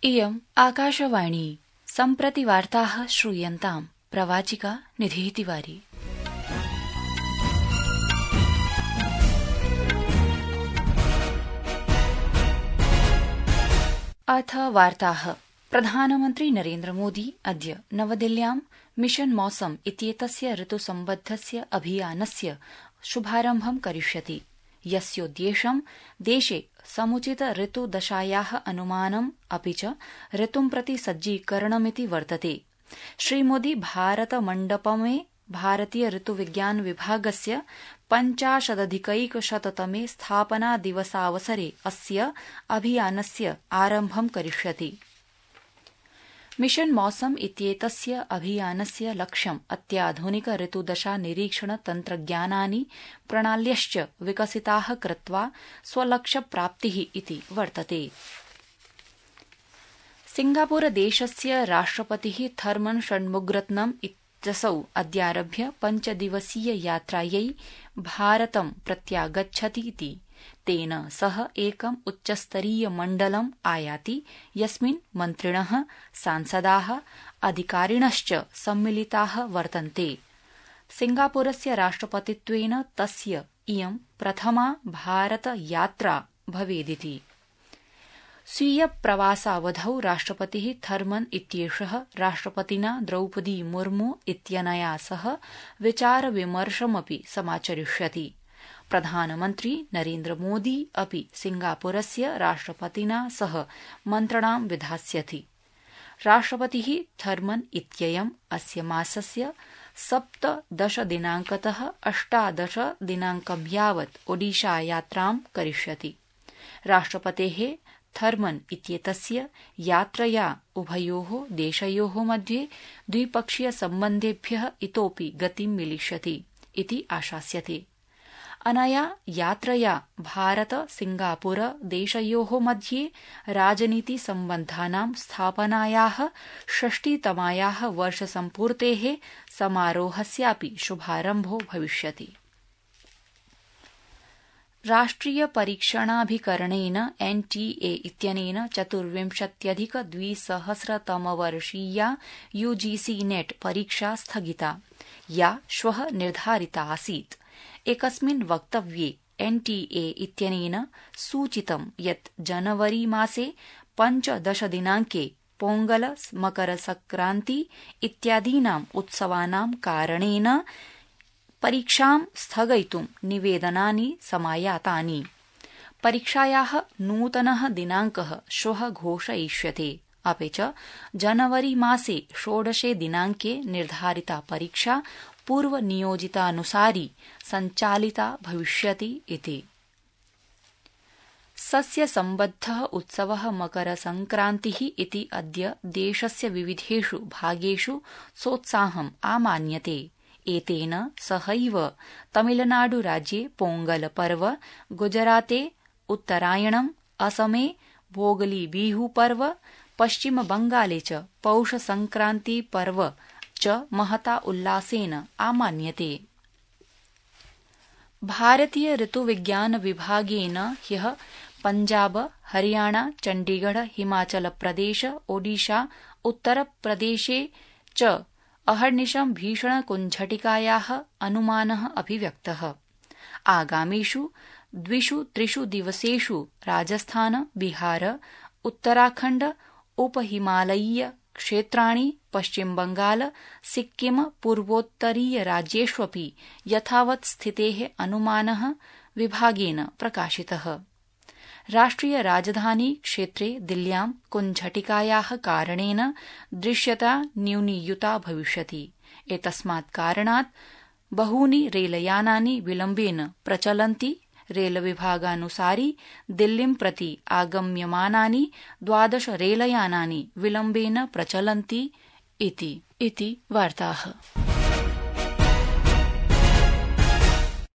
इयम् आकाशवाणी सम्प्रति वार्ताः श्रूयन्ताम्। प्रवाचिका निधिः तिवारी। अथ वार्ताः। प्रधानमन्त्री नरेन्द्रमोदी अद्य नवदिल्ल्यां मिशन मौसम इत्येतस्य ऋतुसम्बद्धस्य अभियानस्य शुभारम्भं करिष्यति, यस्योद्देश्यं देशे समुचित ऋतुदशायाः अनुमानम् अपि च ऋतुं प्रति सज्जीकरणमिति वर्तते। श्रीमोदी भारतमण्डपमे भारतीय ऋतुविज्ञान विभागस्य 50अधिकैकशततमे स्थापनादिवसावसरे अस्य अभियानस्य आरम्भं करिष्यति। मिशन मौसम इत्येतस्य अभियानस्य लक्ष्यम् अत्याधुनिक ऋतुदशा निरीक्षण तन्त्रज्ञानानि प्रणाल्यश्च विकसिताः कृत्वा स्वलक्ष्यप्राप्तिः इति वर्तते। सिंगापुरदेशस्य राष्ट्रपतिः थर्मन षण्मुगरत्नम् इत्यसौ अद्यारभ्य 5 दिवसीय यात्रायै भारतं प्रत्यागच्छति इति। तेन सह एकम् उच्चस्तरीय मण्डलम् आयाति, यस्मिन् मन्त्रिणः, सांसदाः, अधिकारिणश्च सम्मिलिताः वर्तन्ते। सिंगापुरस्य राष्ट्रपतित्वेन तस्य इयं प्रथमा भारतयात्रा भवेदिति। स्वीय प्रवासावधौ राष्ट्रपतिः थर्मन इत्येषः राष्ट्रपतिना द्रौपदी मुर्मू इत्यनया सह विचारविमर्शमपि समाचरिष्यति। प्रधानमन्त्री नरेन्द्रमोदी अपि सिंगापुरस्य राष्ट्रपतिना सह मन्त्रणां विधास्यति। राष्ट्रपतिः थर्मन इत्ययम् अस्य मासस्य 17 दिनाङ्कतः 18 दिनाङ्कं यावत् ओडिशायात्रां करिष्यति। राष्ट्रपतेः थर्मन इत्येतस्य यात्रया उभयोः देशयोः मध्ये द्विपक्षीय सम्बन्धेभ्यः इतोऽपि गतिं मिलिष्यति इति आशास्यते। अनया यात्रया भारत सिंगापुर देशयोः मध्ये राजनीति सम्बन्धानां स्थापनायाः 60तमायाः वर्षसम्पूर्तेः समारोहस्यापि शुभारम्भो भविष्यति। राष्ट्रिय परीक्षणाभिकरणेन एनटीए इत्यनेन 24,200तमवर्षीया यूजीसी नेट परीक्षा स्थगिता, या श्वः निर्धारिता आसीत्। एकस्मिन् वक्तव्ये एनटीए इत्यनेन सूचितं यत् जनवरी मासे 15 दिनाङ्के पोंगल, मकरसंक्रान्ति इत्यादीनाम् उत्सवानां कारणेन परीक्षां स्थगयितुं निवेदनानि समायातानि। परीक्षायाः नूतनः दिनाङ्कः श्वः घोषयिष्यते, अपि च जनवरी मासे 16 दिनाङ्के निर्धारिता परीक्षा पूर्वनियोजितानुसारी सञ्चालिता भविष्यति इति। सस्यसम्बद्धः उत्सवः मकरसंक्रान्तिः इति अद्य देशस्य विविधेषु भागेषु सोत्साहम् आमान्यते। एतेन सहैव तमिलनाडुराज्ये पोंगल पर्व, गुजराते उत्तरायणम्, असमे भोगली बिहू पर्व, पश्चिमबंगाले च पौषसंक्रान्ति पर्व च महता उल्लासेन आमान्यते। भारतीय ऋतुविज्ञान विभागेन ह्यः पञ्जाब, हरियाणा, चण्डीगढ़, हिमाचलप्रदेश, ओडिशा, उत्तरप्रदेशे च अहर्निशं भीषणकुञ्झटिकायाः अनुमानः अभिव्यक्तः। आगामिषु 2-3 दिवसेषु राजस्थान, बिहार, उत्तराखण्ड, उपहिमालयीय क्षेत्राणि, पश्चिमबंगाल, सिक्किम, पूर्वोत्तरीय राज्येष्वपि यथावत् स्थितेः अनुमानः विभागेन प्रकाशितः। राष्ट्रिय राजधानी क्षेत्रे दिल्ल्यां कुञ्झटिकायाः कारणेन दृश्यता न्यूनीयुता भविष्यति। एतस्मात् कारणात् बहूनि रेलयानानि विलम्बेन प्रचलन्ति। रेलविभागानुसारि दिल्लीं प्रति आगम्यमानानि 12 रेलयानानि विलम्बेन प्रचलन्ति इति वार्ताः।